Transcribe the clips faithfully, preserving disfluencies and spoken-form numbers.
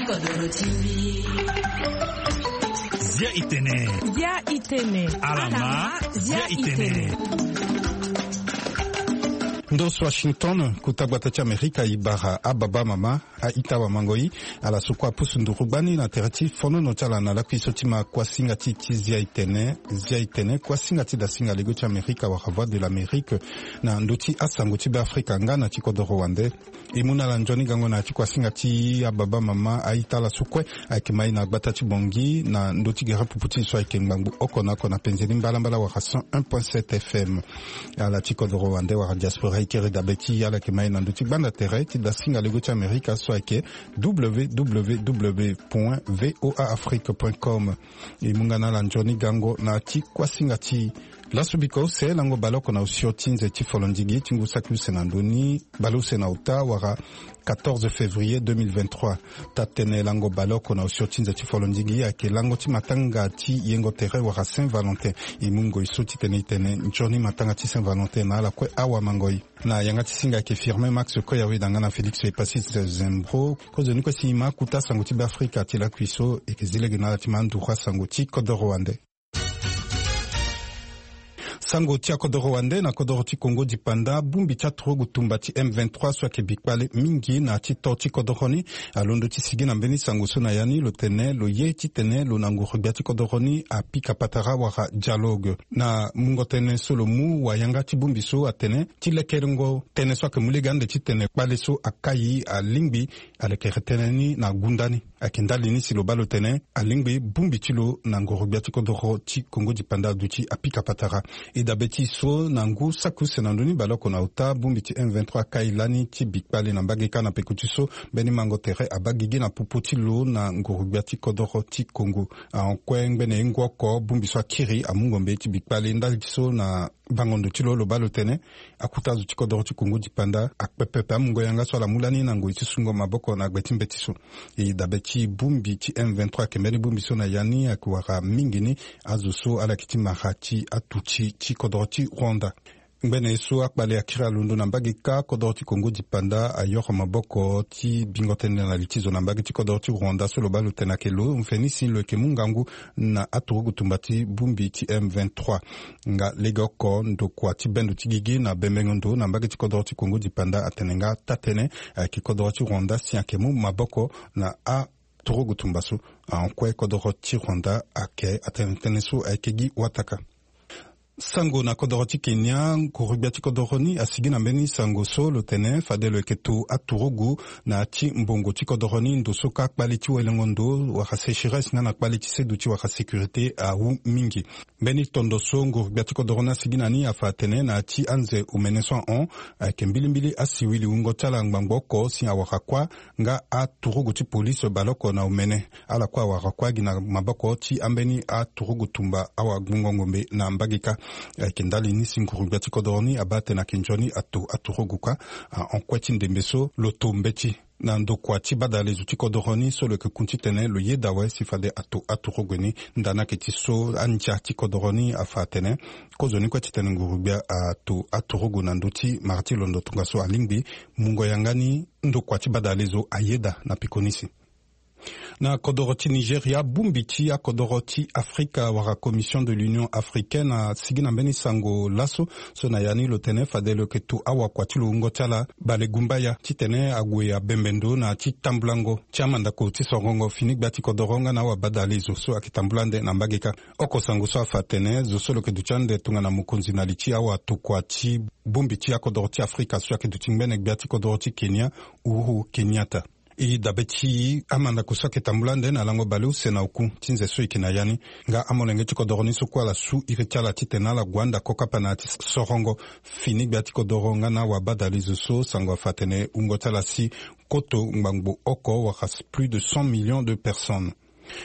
Zia itene. Zia itene. Alama. Zia itene. Ndo so Washington, kota gbata ti Amerika, e bara ababa mama, a-ita wamango-i, ala so kue apusu nduru gbani na tere ti fonono ti ala na lakui so ti ma kuasinga ti ti zia itene. Zia itene, kuasinga ti dasinga lego ti Amerika wala Voix de l'Amérique, na ndo ti asango ti Be Afrika nga na ti kodoro wande. E mu na ala nzoni gango na ya ti kuasinga ti ababa mama, a-ita ala so kue ayeke ma e na gbata ti Bangui na ndö ti gere pupu ti e so ayeke ngbangbo oko na oko na penze ni mbalambala wala cent un point sept F M. Ala ti kodoro wande wala diaspora e kiri dabe ti e, ala yeke ma e na ndö ti gbanda tere ti dasinga lego ti Amerika so ayeke W W W point V O A Afrique point com. E mu nga na ala nzoni gango na ya ti kuasinga ti laso biko use lango baleoko na osio ti nze ti folondigi ti ngu saki use na ndö ni, baleuse na ota wala quatorze février deux mille vingt-trois. Taa-tënë lango baleoko na osio ti nze ti folondigi ayeke lango ti matanga ti yengo tere wala Saint Valentin. E mu ngoi so titene e tene nzoni matanga ti Saint Valentin na ala kue awamango-i. Na yanga ti singa ayeke Firmin Max Koyawe, da nga na Félix Epasis Zembro. Kozoni kue si e ma kota sango ti Be Afrika ti lakui so, e yeke zi lege na ala ti ma nduru asango ti kodoro wande. Sango ti akodoro wande na kodoro ti Kongo dipanda, bongbi ti aturugu tumba ti M vingt-trois so ayeke bi kpale mingi na ya ti to ti kodoro ni, alondo ti sigi na mbeni sango so na ya ni, lo tene lo ye titene lo na nguru-gbia ti kodoro ni apika patara wala dialogue. Na mungo tënë so lo mu, wayanga ti bongbi so atene ti lekerengo tënë so ayeke mu lege ande titene kpale so akai alingbi alekere tënë ni na gunda ni. Ayeke ndali ni si lo baa lo tene alingbi bongbi ti lo na nguru-gbia ti kodoro ti Kongo dipanda aduti apika patara. E dabe ti e so, na ngu saki use na ndö ni baleoko na ota, bongbi ti M vingt-trois akai lani ti bi kpale na mbage kâ. Na peko ti so, mbeni mango tere abaa gigi na popo ti lo na nguru-gbia ti kodoro ti Kongo. Ahon kue ngbene ye ngu oko bongbi so akiri amu ngombe ti bi kpale. Ndali ti so na bango ndo ti lo, lo baa lo tene akota zo ti kodoro ti Kongo dipanda akpe pepe amungo yanga so ala mu lani na ngoi ti sungo maboko na gbe ti mbeti so. E dabe ti bongbi ti M vingt-trois ayeke mbeni bongbi so na ya ni ayeke wara mingi ni azo so ala yeke ti mara ti atuti ti kodoro ti Rwanda. Ngbene ye so akpale akiri alondo na mbage kâ, kodoro ti Kongo dipanda ayoro maboko ti bingo tënë na li ti zo na mbage ti kodoro ti Rwanda so lo baa lo tene ayeke lo mfeni si lo yeke mu ngangu na aturugu tumba ti bongbi ti M vingt-trois. Nga legeoko ndokua ti bendo ti gigi na bembengo ndo na mbage ti kodoro ti Kongo dipanda atene nga taa-tënë ayeke kodoro ti Rwanda si ayeke mu maboko na aturugu tumba so. Ahon kue kodoro ti Rwanda ayeke atene tënë so ayeke gi wataka. Sango na kodoro ti Kenya, nguru-gbia ti kodoro ni asigi na mbeni sango so lo tene fade lo yeke to aturugu na ya ti mbongo ti kodoro ni, ndo so kâ kpale ti welengo ndo wala sécheresse nga na kpale ti seduti wala sécurité awu mingi. Mbeni tondo so nguru-gbia ti kodoro ni asigi na ni afa atene na ya ti anze omene so ahon, ayeke mbilimbili asiwili wungo ti ala ngbangbo oko si awara kuâ nga aturugu ti polise baleoko na omene. Ala kue awara kuâ gi na maboko ti ambeni aturugu tumba awagbongo ngombe na mbage kâ. Ayeke ndali ni si nguru-gbia ti kodoro ni abaa atene ayeke nzoni ato aturugu kâ. Ahon kue ti ndembe so lo to mbeti na ndokua ti badalezo ti kodoro ni so lo yeke kun titene lo yeda awe si fade ato aturugu ni. Nda ni ayeke ti so andia ti kodoro ni afa atene kozoni kue titene nguru-gbia ato aturugu na ndö ti mara ti londo tongaso alingbi mungo yanga ni ndokua ti badalezo ayeda na peko ni si. Na kodoro ti Nigeria, bongbi ti akodoro ti Afrika wala Commission de l'Union Africaine asigi na mbeni sango laso so na ya ni lo tene fade lo yeke to awakua ti lo wungo ti ala balegumbaya titene ague abembe ndo na ya ti tambulango ti amandako ti sorongo fini gbia ti kodoro nga na awabadalezo so ayeke tambula ande na mbage kâ. Oko sango so afa atene zo so lo yeke duti ande tongana mokonzi na li ti awatokua ti bongbi ti akodoro ti Afrika so ayeke duti ngbene gbia ti kodoro ti Kenya, Uhuru Kenyatta. E dabe ti amandako so ayeke tambula ande na lango baleuse na oku ti nze so e yeke na ya ni. Nga amolenge ti kodoro ni so kue ala su iri ti ala titene ala gue anda kokapa na ya ti sorongo fini gbia ti kodoro nga na awabadalezo so sango afa atene wungo ti ala si koto ngbangbo oko wala plus de cent millions de personnes.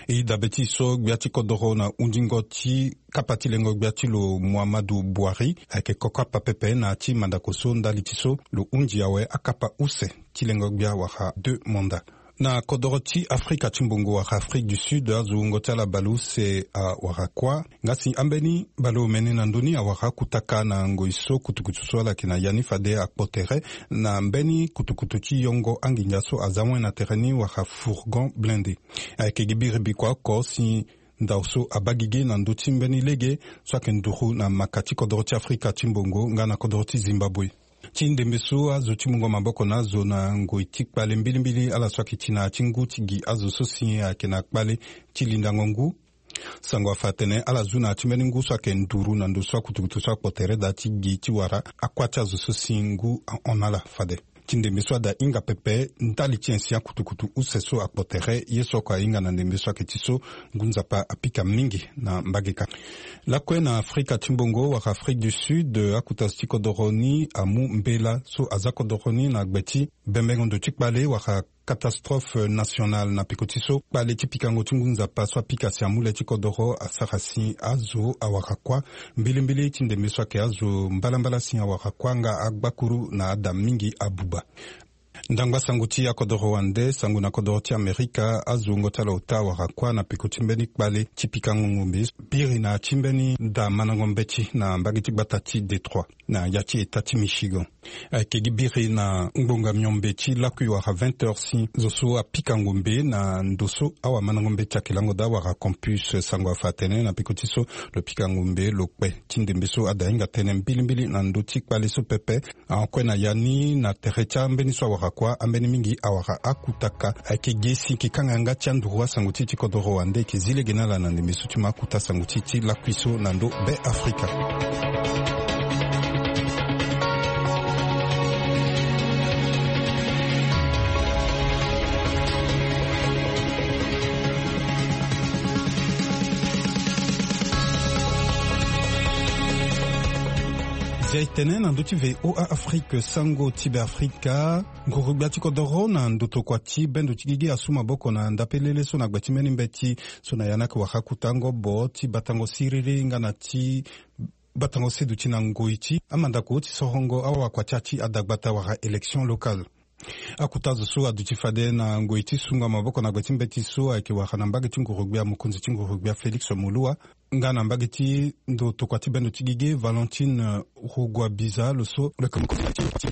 E dabe ti e so gbia ti kodoro na hundingo ti kapa ti lengo gbia ti lo Muhammadu Buhari ayeke kokapa pepe na ya ti mandako so ndali ti so lo hundi awe akapa use ti lengo gbia wala deux mandats. Na kodoro ti Afrika ti mbongo wala Afrique du Sud, azo wungo ti ala baleuse awara kuâ. Nga si ambeni baleomene na ndö ni awara akutaka na ngoi so kutukutu so ala yeke na ya ni fade akpo tere na mbeni kutukutu ti yongo anginza so aza wen na tere ni wala fourgon blindé. Ayeke gi biri bikua oko si ndao so abaa gi ge na ndö ti mbeni lege so ayeke nduru na maka ti kodoro ti Afrika ti mbongo nga na kodoro ti Zimbabwe. Ti ndembe so azo ti mungo maboko na azo na ngoi ti kpale mbilimbili ala so ayeke ti na ya ti ngu ti gi azo so si ayeke na kpale ti lindango ngu. Sango afa atene ala zu na ya ti mbeni ngu so ayeke nduru na ndo so akutukutu so akpo tere daa ti gi ti wara akuâ ti azo so si ngu ahon na ala fade. Ti ndembe so ada hinga pepe ndali ti ancien akutukutu use so akpo tere ye so oko ahinga na ndembe so ayeke ti so ngu nzapa apika mingi na mbage kâ. Lakue na Afrika ti mbongo wala Afrique du Sud, akuta zo ti kodoro ni amu mbela so aza kodoro ni na gbe ti bembengo ndo ti kpale wala catastrophe nationale na peko ti so kpale ti pikango ti ngu nzapa so apika si amu le ti kodoro asara si azo awara kuâ. Mbilimbili ti ndembe so ayeke azo mbalambala si awara kuâ nga agbakuru na ada mingi abuba. Ndangba sango ti akodoro wande, sango na kodoro ti Amerika, azo wungo ti ala ota awara kuâ na peko ti mbeni kpale ti pikango ngombe biri na ya ti mbeni da mandango mbeti na mbage ti gbata ti Détroit na ya ti eta ti Michigan. Ayeke gi biri na ngbonga miombe ti lakui wala vingt heures si zo so apika ngombe na ndo so awamandango mbeti ayeke lango daa wala campus. Sango afa atene na peko ti so lo pika ngombe lo kpe. Ti ndembe so ada hinga tënë mbilimbili na ndö ti kpale so pepe. Akue na ya ni na tere ti ambeni so awara kuâ, ambeni mingi awara akutaka. Ayeke gi si e yeke kanga yanga ti anduru asango ti e ti kodoro wande, e yeke zi lege na ala na ndembe so ti ma akuta sango ti e ti lakui so na ndo Be Afrika. Zia e tene na ndö ti V O A Afrique, sango ti Be Afrika. Nguru-gbia ti kodoro na ndo tokua ti bendo ti gigi asu maboko na ndapelele so na gbe ti mbeni mbeti so na ya ni ayeke wara akuta ngobo ti batango siriri nga na ti batango seduti na ngoi ti amandako ti sorongo awakua ti ya ti adagbata wala élection locale. Akuta zo so aduti fade na ngoi ti sungo maboko na gbe ti mbeti so ayeke wara na mbage ti nguru-gbia mokonzi ti nguru-gbia Félix Moloua, nga na mbage ti ndo tokua ti bendo ti gigi Valentine Rugwabiza, lo so lo yeke mokonzi ti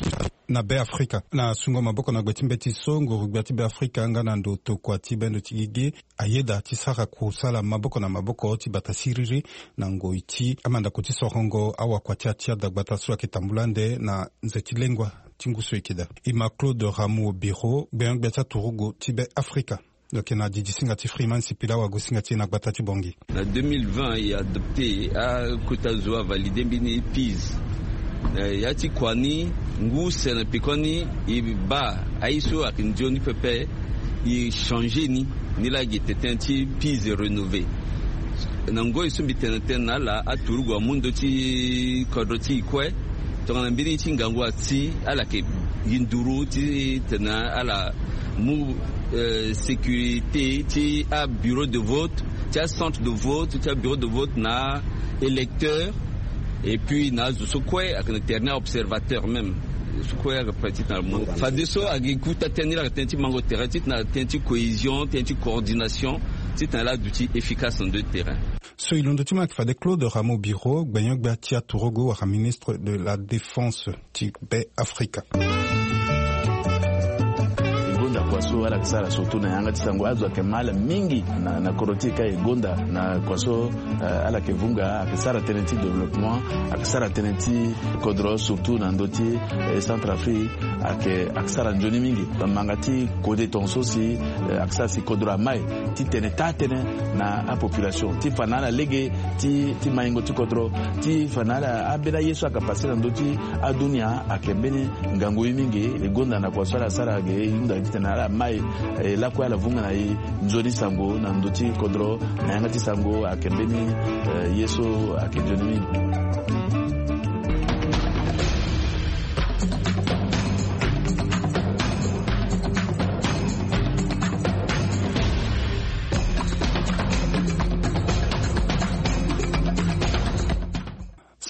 na Be Afrika. Na sungo maboko na gbe ti mbeti so, nguru-gbia ti Be Afrika nga na ndo tokua ti bendo ti gigi ayeda ti sara kusala maboko na maboko ti bata siriri na ngoi ti amandako ti sorongo awakua ti ya ti adagbata so ayeke tambula ande na nze ti lengua ti ngu so e yeke daa. E ma Claude Rameau Biro, gbenyo-gbia ti aturugu ti Be Afrika. Lo yeke na didi singa ti Freeman Sipila, wagosinga ti e na gbata ti Bangui. Na deux mille vingt, e adopté, akota zo avalidé mbeni PISA. Eh, ya ti kua ni, ngu use na pekoni, e baa aye so ayeke nzoni pepe, e changé ni, ni laa gi tënë ti PISA rénové. Na ngoi so mbi tene tënë na ala, aturugu amu ndö ti kodro ti e kue. Tongana mbeni ti ngangu asi, ala yeke gi nduru ti tene ala mu, eh, sécurité ti abureau de vote, ti acentre de vote, ti abureau de vote na aélecteur, et puis na azo so kue ayeke na tere ni, aobservateur même. Zo so kue ayeke prêt titene ala mu. Fadeso ayeke kota tënë ni, ala yeke tënë ti mango tere, titene ala tënë ti cohésion, tënë ti coordination, titene ala duti efficace na ndö ti terrain. So e londo ti ma ayeke fade Claude Rameau Biro, gbenyo-gbia ti aturugu wala ministre de la Défense ti Be Afrika. E gonda kua so ala yeke sara surtout na yanga ti sango, azo ayeke ma ala mingi na, na kodro ti e ka e gonda na kua so, eh, ala yeke vunga, ayeke sara tënë ti développement, ayeke sara tënë ti kodro surtout na ndö ti, eh, Centrafrique. Ayeke, ayeke sara nzoni mingi. Manga ti kode tongaso si, eh, ayeke sara si kodro amai ti tene taa-tënë na apopulation ti fa na ala lege ti, ti maingo ti kodro, ti fa na ala ambeni aye so ayeke pase na ndö ti adunia. Ayeke mbeni ngangu ye mingi. E gonda na kua so ala sara ge, e hunda titene ala mai, eh, lakue ala vunga na e nzoni sango na ndö ti kodro. Na yanga ti sango ayeke mbeni, eh, ye so ayeke nzoni mingi.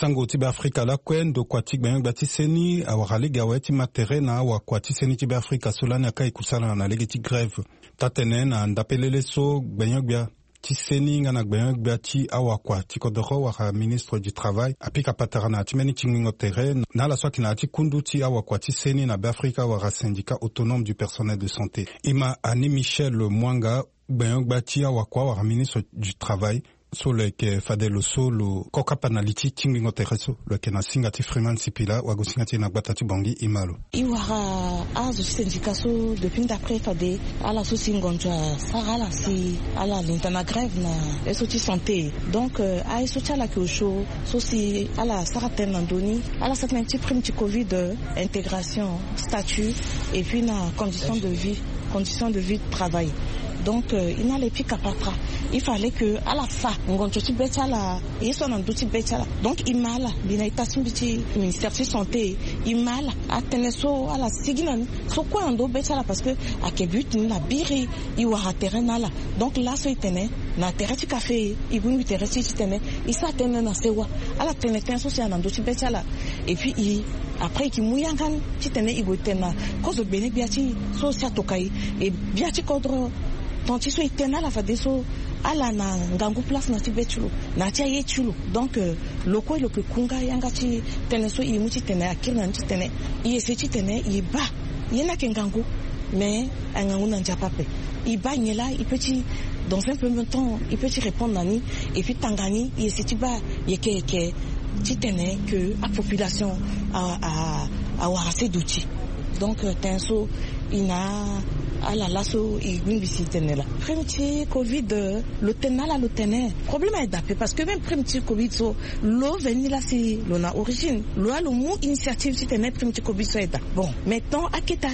Lango ti Beafrika lakue, ndokua ti gbenyo-gbia ti seni awara lege awe ti ma tere na awakua ti seni ti Beafrika so lani akai kusala na lege ti grève. Taa-tene na ndapelele so gbenyo-gbia ti seni nga na gbenyo-gbia ti awakua ti kodoro wala ministre du travail apika patara na ya ti mbeni tingbingo tere na ala so ayeke na ya ti kundu ti awakua ti seni na Beafrika wala syndicat autonome du personnel de santé. E ma Annie Michel Mwanga, gbenyo-gbia ti awakua wala ministre du travail, so lo yeke fade lo so lo kokapa na li ti tingbingo tere so, lo yeke na singa ti Freeman Sipila, wagosinga ti e na gbata ti Bangui. E ma lo. E wara azo ti syndicat so depuis ndapre fade ala so si ngonzo asara ala si ala linda na grève na ye so ti santé. Donc, euh, aye so ti ala yeke osio so si ala sara tënë na ndö ni, ala sara tënë ti prime ti covid, euh, intégration, statut, et puis na condition de vie, condition de vie de travail. Donc, euh, e na ala e pika patara. Il fallait que ala fa ngonzo ti be ti ala, ye so na ndö ti be ti ala. Donc e ma ala, mbi na ita ti mbi ti ministère ti santé, e ma ala atënë so ala sigi na ni so kue na ndö be ti ala, parce que ayeke but ni na biri e wara tere na ala. Donc laso e tene na tere ti kafe, e bongbi tere ti e titene e sara tënë na sewa ala tene tënë so si ayeke na ndö ti be ti ala. Et puis e, après e yeke mu yanga ni titene e gue tene na kozo gbene gbia ti e so si atoka e, e gbia ti kodro. Ton ti so e tene na ala fadeso ala na ngangu place na ti be ti lo, na ti aye ti lo. Donc, euh, lo kue lo yeke ku nga yanga ti tënë so e mu titene akiri na ni titene e ese titene e baa. Ye ni ayeke ngangu, mais angangu na Nzapa ape. E baa nyen laa e peut ti, dans un premier temps e peut ti répondre na ni. Et puis tanga ni e ese ti baa yeke yeke titene ke apopulation a, a, awara se duti. Donc, euh, tënë so e na ala laso e bongbi si e tene laa. Prime ti covid, euh, lo tene na ala lo tene problème ayeke daa ape, parce que même prime ti covid so lo veni laa si lo na origine, lo laa lo mu initiative titene prime ti covid so ayeke daa. Bon, mais tant akete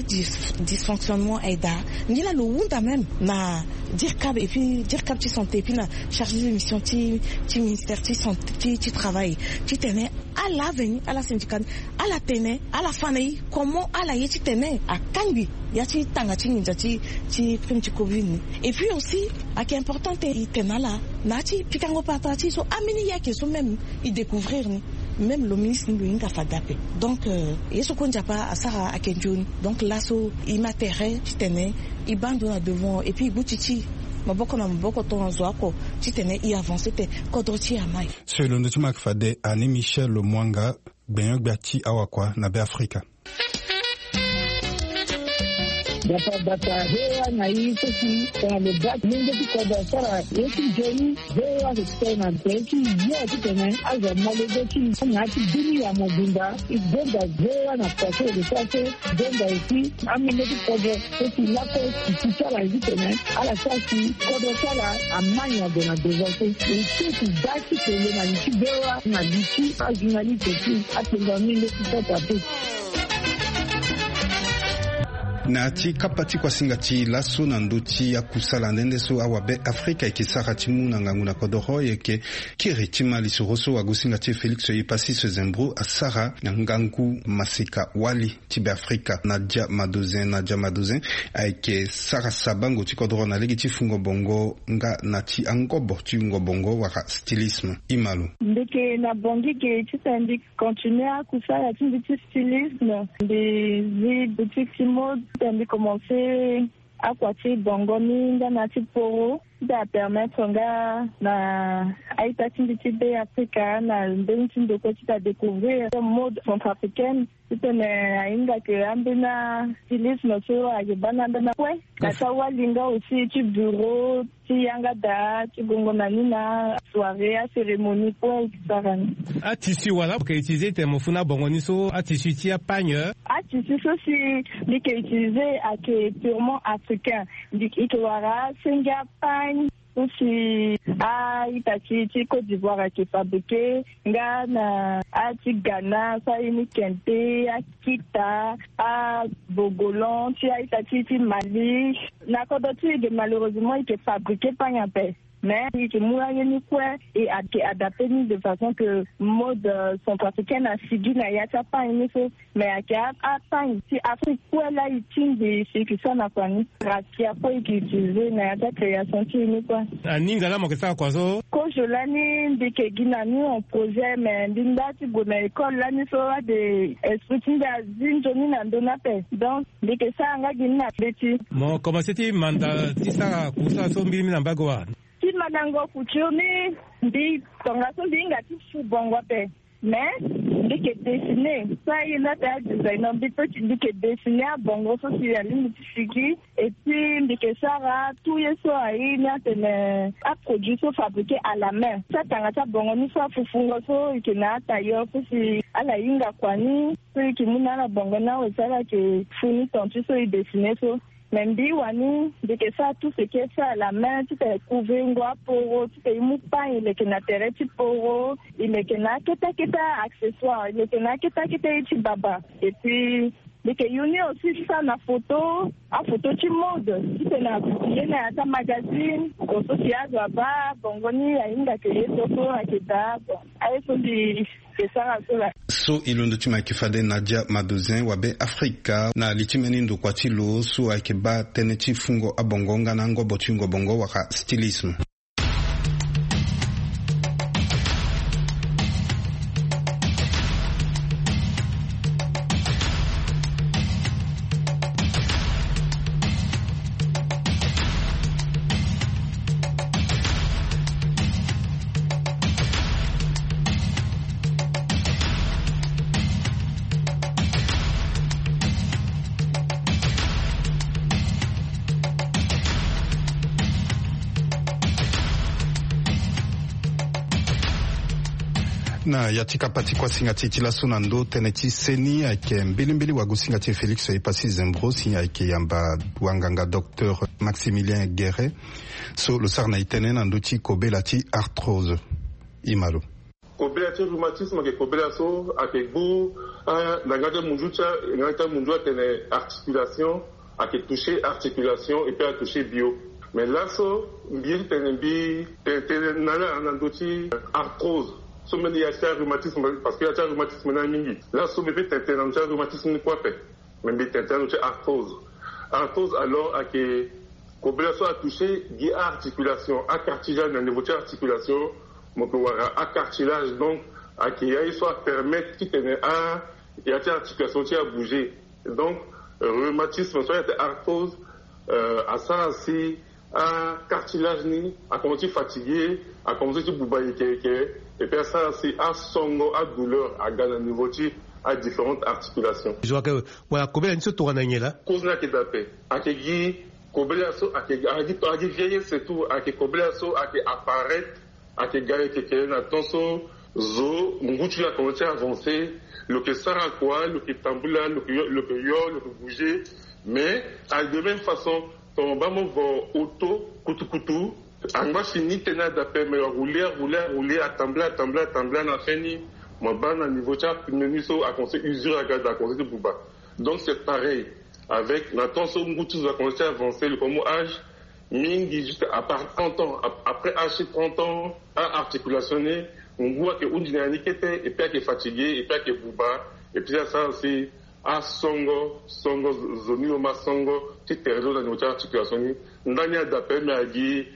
dysfonctionnement ayeke daa, ni laa lo hunda même na DIRCAP, et puis DIRCAP ti santé, et puis na chargé de mission ti, ti ministère ti santé, ti, ti travail, titene ala veni, ala syndicat ni, ala tene, ala fa na e comment ala ye titene akangbi ya ti tanga ti nginza ti, ti prime ti covid ni. Et puis aussi ayeke important te e tene na ala na ya ti pikango patara ti e so ambeni ye ayeke so même e découvrir ni. Même lo ministre ni lo hinga fade ape. Donc, euh, ye so kue Nzapa asara ayeke nzoni. Donc laso e ma tere titene e baa ndo na devant, et puis e gbu ti ti e maboko na maboko tongaso oko titene e avancer te kodro ti e amai. So e londo ti ma ayeke fade Annie Michel Mwanga, gbenyo-gbia ti awakua na Beafrika. Bata bata, V O A na e so si tongana lo baa molenge ti kodro asara ye ti nzoni, V O A ayeke tene na tere ti yo titene azo amolenge ti e na ya ti dunia mobimba. E gonda V O A na kua so e yeke sara so, gonda aussi amolenge ti kodro so si lakue e si ti ala ye titene ala sara si kodro ti ala amai na gue na devant so. E ti e ti baa ti tene na li ti V O A na li ti ajournaliste ti akpengba ni nde ti sota te. Na ya ti kapa ti kuasinga ti laso na ndö ti akusala nde nde so awabe Afrika e yeke sara ti mu na ngangu na kodoro, e yeke kiri ti ma lisoro so wagosinga ti e Félix Epassis Zembro asara na ngangu maseka wali ti Beafrika. Nadia Madozin, Nadia Madozin ayeke sara sabango ti kodoro na lege ti fungo bongo nga na ti angobo ti wungo bongo wala stylisme. E ma lo. Mbi yeke na Bangui ge titene mbi continuer akusala ti mbi ti stylisme. Mbi zi boutique ti mode titene mbi commencer akua ti bongo ni nga na ti poro ti apermettre nga na a-ita ti mbi ti Beafrika na mbeni ti ndokua ti adécouvrir mode centrafricaine. Titene ahinga ke ambeni astylisme so ayeke baa na ambeni akue na ti awali nga aussi ti bureau ti yanga daa ti gongo na ni na soirée, acérémonie kue e yeke sara ni. Atissu wala mo yeke utiliser titene mo fû na bongo ni so, atissu ti apagne? Atissu so si mbi yeke utiliser ayeke purement africain. Mbi yeke wara asenge apagne so si a-ita ti ti Côte d'Ivoire ayeke fabriquer nga na a-ti Ghana so aye ni kente, akita, abogolan ti a-ita ti ti Mali. Na kodro ti e ge malheureusement e yeke fabriquer pagne ape. Mais e yeke mu aye ni kue e yeke adapter ni de façon que mode, euh, centrafricaine asigi na ya ti apagne ni so. Mais ayeke apagne ti Afrique kue laa e tingbi si e yeke sara na kua ni. Raffia kue e yeke utiliser na ya ti acréation ti e ni kue. Aninga laa mo yeke sara kua so? Ojo lani mbi yeke gi na ni en projet, mais mbi nda ti gue na école lani so ade esprit ti mbi azi nzoni na ndö ni ape. Donc mbi yeke sara nga gi ni na mbeti. Mo komanse ti manda ti sara kusa so mbiri mi na mbago wa? Ti mandango couture ni, mbi tongaso mbi hinga ti fu bongo ape. Mais mbi yeke dessiner so aye ni ape adesigner mbi pe ti mbi yeke dessiner abongo so si alingbi ti sigi. Et puis mbi yeke sara tout ye so aye ni atene aproduit so fabriqué à la main so atanga ti abongo ni so afufungo so e yeke na atailleur so si ala hinga kua ni so e yeke mu na ala bongo ni awe si ala yeke fu ni tontu so e dessiner so. Mais mbi wani mbi yeke sara tout ce qui est fait à la main ti tene couvrir ngo aporo ti tene e mu pain e leke na tere ti poro, e leke na akete akete accessoire, e leke na akete akete ye ti baba. Et puis mbi yeke yu ni aussi ti sara na photo, aphoto ti mode ti tene apublie na ya ti amagazine. Bon so si azo abaa bongo ni ahinga ke ye so so ayeke daa. Bon aye so mbi yeke sara so laa. So e londo ti mo ayeke fade Nadia Madozin wa Be Afrika na li ti mbeni ndokua ti lo so ayeke baa tënë ti fungo abongo nga na ngobo ti hungo bongo wala stylisme. Na ya ti kapa ti kuasinga ti e ti laso na ndö tënë ti seni ayeke mbilimbili wagosinga ti e Félix Epassi Zembro si ayeke yamba wanganga docteur Maximilien Guéret so lo sara na e tënë na ndö ti kobela ti arthrose. Ima lo. Kobela ti rhumatisme ayeke kobela so ayeke gbu, ah, na nga ti amunzu ti a nga ti amunzu atene articulation, ayeke toucher articulation et puis atoucher bio. Mais laso mbi ye ti tene mbi tene tënë na ala na ndö ti arthrose so mbeni ya ti arhumatisme parce que ya ti arhumatisme ni amingi. Laso mbi pe tene tënë na ndö ti arhumatisme ni kue ape. Mais mbi tene tënë na ndö ti arthrose. Arthrose alors ayeke kobela so atoucher gi aarticulation, acartilage na niveau ti articulation. Mo yeke wara acartilage donc ayeke ya ye so apermettre ti tene a ya ti articulation ti abouger. Donc rhumatisme so ayeke arthrose, euh, asara si acartilage ni akomanse ti fatigué, akomanse ti buba yeke yeke. Et puis asara si asongo adouleur aga na niveau ti adifférentes articulations. Zo ayeke wala kobela ni so tongana nyen laa? Cause ni ayeke daa ape. Ayeke gi kobela so ayeke, ayeke vieillesse surtout, ayeke kobela so ayeke apparaître, ayeke ga yeke yeke na temps so zo ngu ti lo akomanse ti avancer. Lo yeke sara kua, lo yeke tambula, lo yeke yo, lo yeke yo, lo yeke bouger. Mais ayeke de même façon tongana mo baa mo vo auto kutukutu, angba si ni tënë daa ape, mais arouler, arouler, arouler, atambula, atambula, atambula na fin ni mo baa na niveau ti apneu ni so akomanse usure aga daa, akomanse ti buba. Donc c'est pareil avec na temps so ngu ti zo akomanse ti avancer, lo komo âge mingi juste à part trente ans, ap- après âge ti trente ans, aarticulation ni ngu ayeke hunzi na ya ni kete, et puis ayeke fatigué, et puis ayeke buba, et puis asara si asongo, songo zo ni lo ma songo ti tere lo na niveau ti articulation ni. Ndani adape me agi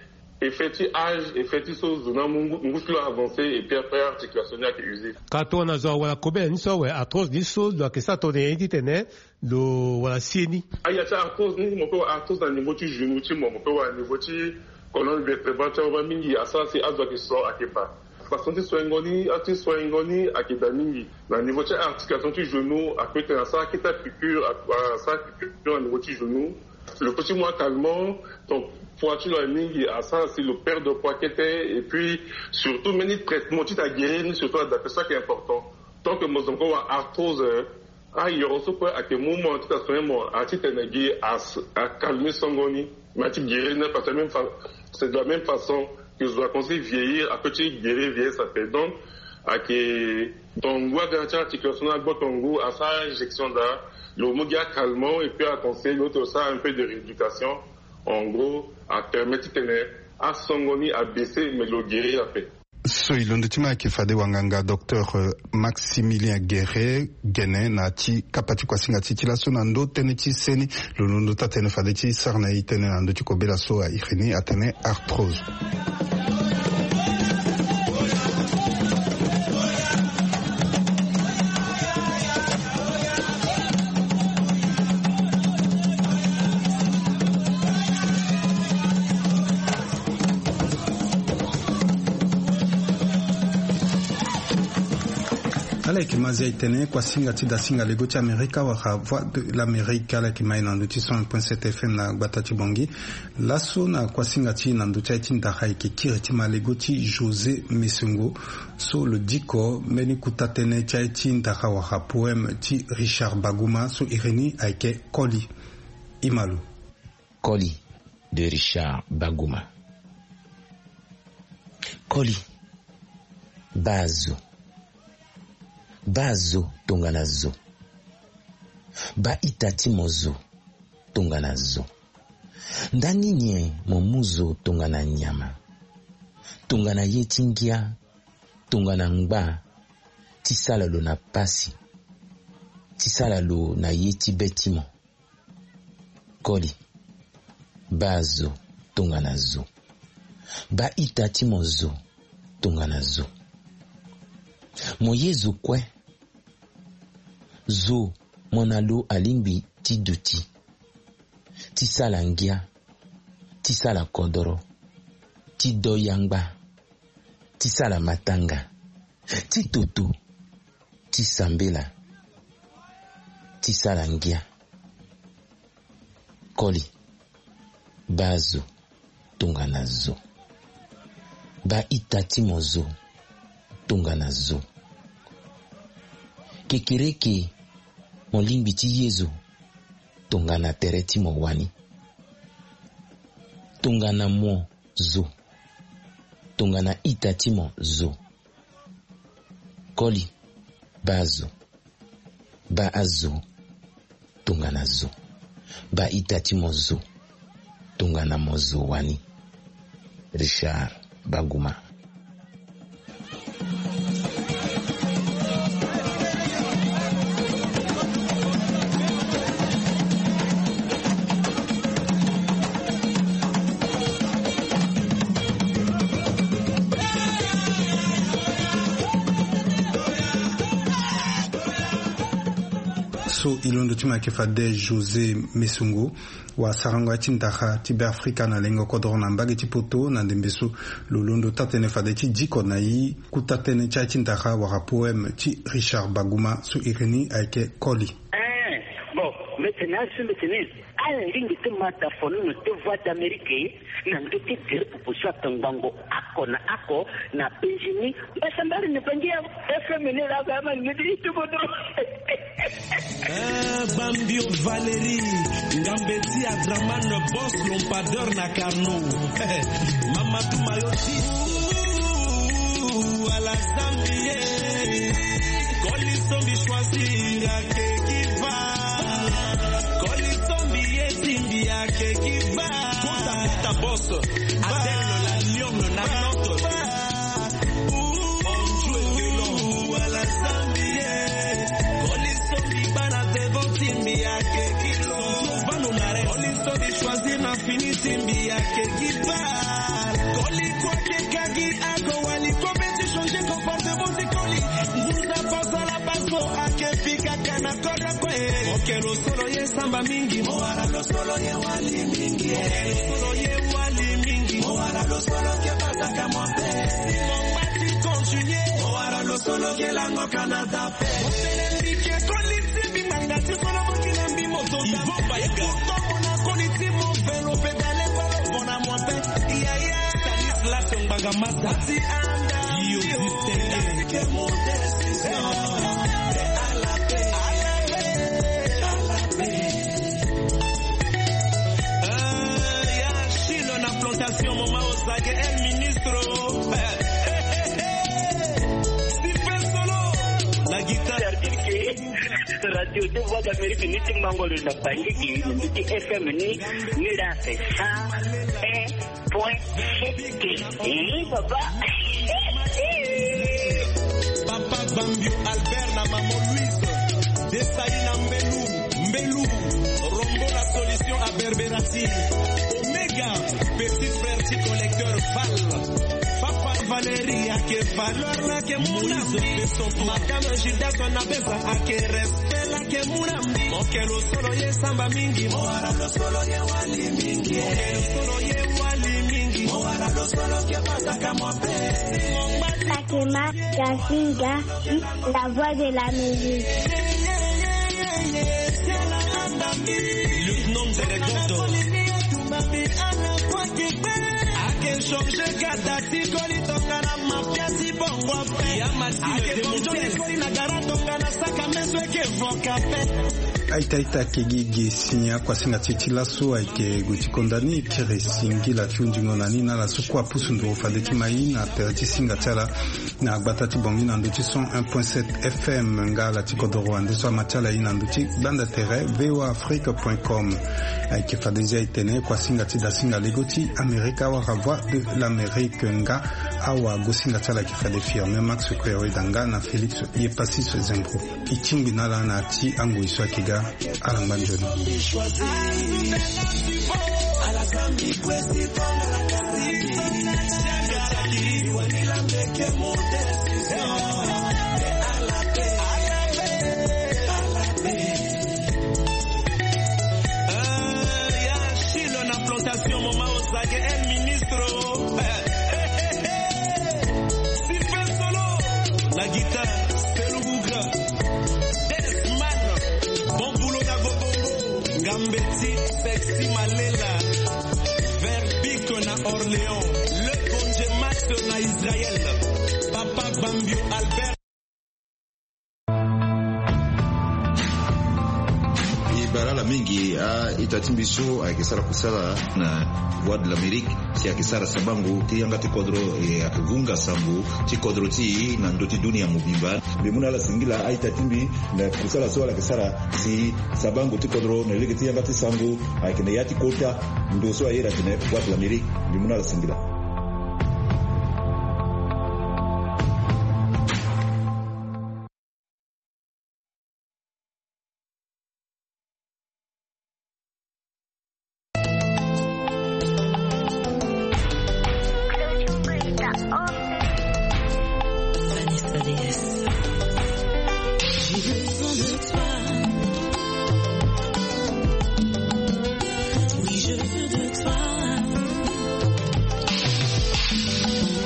effet ti âge, effet ti so zo ni amu ngu ti lo avancer, et puis après articulation ni ayeke usé. Ka tongana zo awara kobela ni so awe, arthrose ni so lo yeke sara tongana nyen ti tene lo wara sie ni? Aya ti arthrose ni mo pe wara arthrose na niveau ti genou ti mo, mo pe wara niveau ti colonne vertébrale ti awe mingi, asara si azo ayeke so ayeke baa. Façon ti soingo ni, a ti soingo ni ayeke daa mingi. Na niveau ti articulation ti genou, ape tene asara akete apiqûre, asara piqûre na niveau ti genou. Lo pe ti mu acalmant, donc poids ti lo aye mingi, asara si lo perdre poids kete. Et puis surtout mbeni traitement ti ta guérir ni surtout adape so ayeke important. Tant que mo zo mo ko wara arthrose, ayoro so kue ayeke mu mo ti ta soin mo, a ti tene gi as- acalmer songo ni. Mais a ti guérir ni parce que même fa- c'est de la même façon que zo akomanse vieillir, ape ti guérir vieillesse ape. Donc ayeke tongo ngu aga na ti articulation ni agbo tongo ngu, asara injection daa, lo mu gi acalmant et puis aconseiller lo ti lo sara un peu de rééducation. En gros apermettre ti tene asongo ni abaisser mais lo guérir ape. So e londo ti ma ayeke fade wanganga docteur, euh, Maximilien Guéret gene na ti kapa ti kuasinga ti e ti laso na ndö tënë ti seni. Lo londo taa tënë fade ti sara na e tënë na ndö ti kobela so a iri ni atene arthrose. Ala yeke ma zia e tene kuasinga ti dasinga lego ti Amerika wala Voix de l'Amérique, ala yeke ma e na ndö ti cent un point sept F M na gbata ti Bangui. Laso na kuasinga ti e na ndö ti aye ti ndara e yeke kiri ti ma lego ti José Messengo, so lo diko mbeni kuta tënë ti aye ti ndara wala poème ti Richard Baguma so iri ni ayeke Koli. Imalo. Koli de Richard Baguma. Koli, baa zo. Baa zo tongana zo. Baa ita ti mo zo tongana zo. Ndani nyen mo mu zo tongana nyama, tongana ye ti ngia, tongana ngba, ti sala lo na pasi, ti sala lo na ye ti be ti mo. Koli, baa zo tongana zo. Baa ita ti mo zo tongana zo. Mo ye zo kue. Zo mo na lo alingbi ti duti, ti sala ngia, ti sala kodoro, ti do yangba, ti sala matanga, ti toto, ti sambela, ti sala ngia. Koli, baa zo tongana zo. Baa ita ti mo zo tongana zo. Kekereke, mo lingbi ti ye zo tongana tere ti mo wani. Tongana mo zo, tongana ita ti mo zo. Koli, baa zo. Baa azo tongana zo. Baa ita ti mo zo tongana mo zo wani. Richard Baguma. So e londo ti mo ayeke fade José Messengo, wasarango ya ti ndara ti Beafrika na lengo kodoro na mbage ti poto. Na ndembe so lo londo taa-tënë fade ti diko na e kuta tënë ti aye ti ndara wala poème ti Richard Baguma so iri ni ayeke Koli. Eh, bon, mbi tene azo, mbi tene ala lingbi ti ma dafo nono ti Voix d'Amérique na ndö ti gere pupu so atongbango oko na oko na Benjini. Mbasambari ni bangi ya F M ni la ga ma ni di tubo do. Eh, Bambio Valérie, Ngambeti Adraman, boss lampadeur na Carnot. Mamadou Mayoti. Ouh, ala Zambie. Koli sombi choisir ake ki va. Koli sombi ye simbi ake ki va. Kota, kota, boss. Adèle la lionne, na note. Ouh, on joue violon. Ala Zambie. Koli sombi bana devant simbi ake ki lo. Vano mare. Koli sombi choisir na fini simbi ake ki va. Koli kwa ke kagi ako wali ko beti changer comportement ti koli. Nguza pasala baso ake fika kana kora kwe. Mokelo solo ye samba mingi. Mo wara lo solo ye wali mingi. Mokelo solo ye wali mingi. Mo wara lo solo ke basaka mo pe. Si mo mati continuer. Mo wara lo solo ke lango kana tape. Mo tene mbi ke koli ti mbi manga ti solo mo kina mbi mo zonza. Ivo Baïga. Pourtant mo na koli ti mo velo pedale velo bona mo pe. Yaya. Stanislas Ngbanga Masa. Ti anda. Yo, yo. Distingué. Ke mo décision. À la paix. À la paix. À la paix. Euh, ya Chilo na plantation, mama Osage, el ministro. Sipe solo. La guitare. Radio de Voix d'Amérique, ni ti mango lo na Bangui, ni ti F M ni, ni la fait ça. Eh, point. Eh, papa. Papa Bambio Albert na maman Louise. Desaï na Mbelou, Mbelou. Rombo la solution à Berberati. Omega, petit frère ti collecteur Val. Papa Valérie, ake valeur la ke muna. Moïse Besson. Madame Judas, on a besoin, ake respect la ke muna. Mokelo solo ye samba mingi. Mo wara lo solo ye wali mingi. Mokelo solo ye wali mingi. Mo wara lo Sakema Gasinga, la voix de l'Amérique. Aita aita, ake gi ge si ni akuasinga ti e ti laso ayeke gue ti konda ni, kiri singila ti hundingo na ni na ala so kue apusu nduru fade ti ma e na tere ti singa ti ala na gbata ti Bangui na ndö ti cent un point sept F M, nga ala ti kodoro ande so ama ti ala e na ndö ti gbanda tere V O A Afrique point com. Ayeke fade zia e tene kuasinga ti dasinga lego ti Amérique awara Voix de l'Amérique, nga awagosinga ti ala ayeke fade Firmin Max Kuereda nga na Félix Yepassis Zengro. E tingbi na ala na ya ti angoi so ayeke ga. Ala ngba nzoni. Sylvain Solo, la guitare, Selou Bougra, Desman, bon boulot na Gobongo, Ngambeti, Sexy Malela, Verbic na Orléans, Le Bonje Max na Israël, Papa Bambio Albert. E baa ala mingi a-ita ti mbi so ayeke sara kusala na Voix de l'Amérique, si ayeke sara sabango ti yanga ti kodro, e ayeke vunga sango ti kodro ti e na ndö ti dunia mobimba. Mbi mu na ala singila a-ita ti mbi na kusala so ala yeke sara si sabango ti kodro na lege ti yanga ti sango ayeke na ya ti kota ndo so a iri atene Voix de l'Amérique. Mbi mu na ala singila.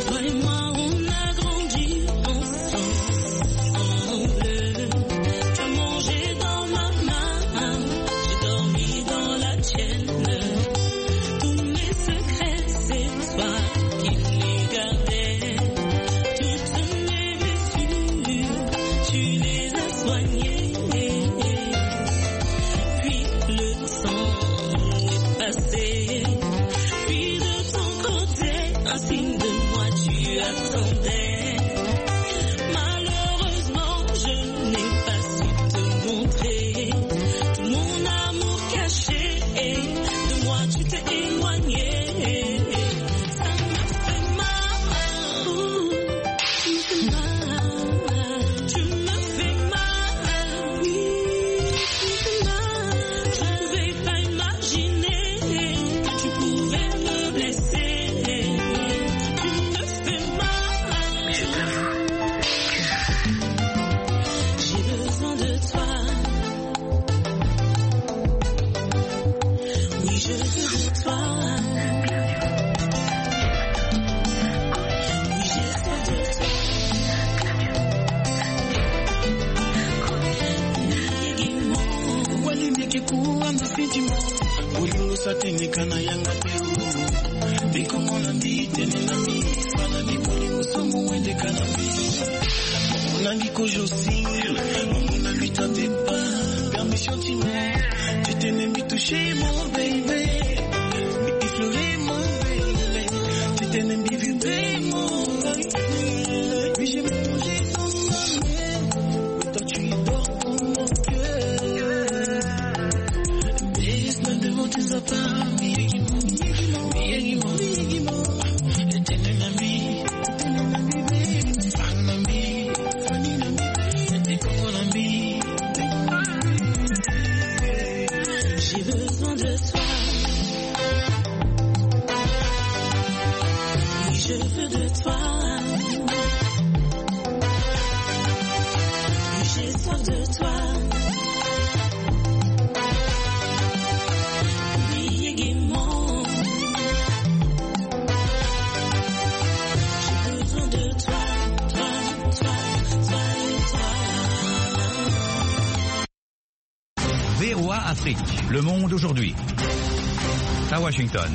Toi et moi, on a grandi ensemble. Tu as mangé dans ma main, j'ai dormi dans la tienne. Tous mes secrets, c'est toi qui les gardais. Toutes mes blessures, tu les as soignées. Puis le temps est passé. Puis de ton côté, un signe de moi, tu attendais. Malheureusement, je n'ai pas su te montrer. Tout mon amour caché, de moi, tu t'es éloigné. Ça m'a fait mal. Tu me fais mal. Tu me fais mal. Oui, tu me fais mal. Je ne pouvais pas imaginer que tu pouvais me blesser. Tu me fais mal. J'ai besoin de toi. Oui, je veux de toi. Oui, j'ai soif de toi. Wali meke kuwa mfiti mo. Bolingo sa tene kana yanga te o. Bikongo na mbi tene na mbi. Fana ni bolingo somo wende kana mbi. Mon ami kojo single, mon ami t'en départ. Permission tu mets, tu t'es même touché mon baby. Mais effleurer mon baby. Tu t'es même vibrer mon baby. Oui, j'ai mangé ton sommeil. Toi tu dors dans mon cœur. Baisse-moi devant tes apparts. J'ai besoin de toi. Oui, je veux de toi. J'ai soif de toi. Oublie gaiement. Afrique, le monde aujourd'hui. À Washington.